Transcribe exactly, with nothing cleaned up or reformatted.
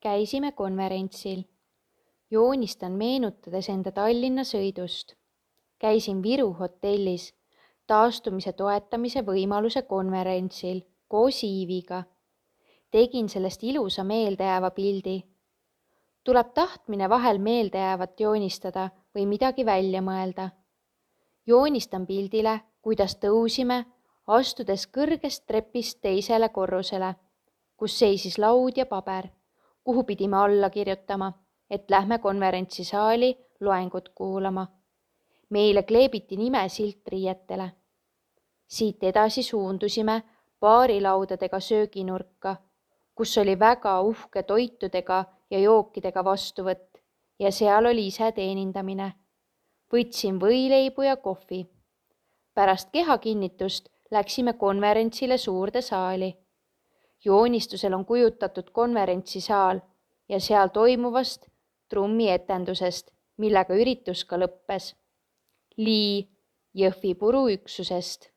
Käisime konverentsil. Joonistan meenutades enda Tallinna sõidust. Käisin Viru hotellis taastumise toetamise võimaluse konverentsil koos Iiviga. Tegin sellest ilusa meeldejääva pildi. Tuleb tahtmine vahel meeldejäävat joonistada või midagi välja mõelda. Joonistan pildile, kuidas tõusime, astudes kõrgest trepist teisele korrusele, kus seisis laud ja paber, kuhu pidime alla kirjutama, et lähme konverentsisaali loengut kuulama. Meile kleebiti nimesilt riietele. Siit edasi suundusime baarilaudadega sööginurka, kus oli väga uhke toitudega ja jookidega vastuvõtt ja seal oli ise teenindamine. Võtsin võileibu ja kohvi. Pärast kehakinnitust läksime konverentsile suurde saali. Joonistusel on kujutatud konverentsisaal ja seal toimuvast trummietendusest, millega üritus ka lõppes. Lii Jõhvi puruüksusest.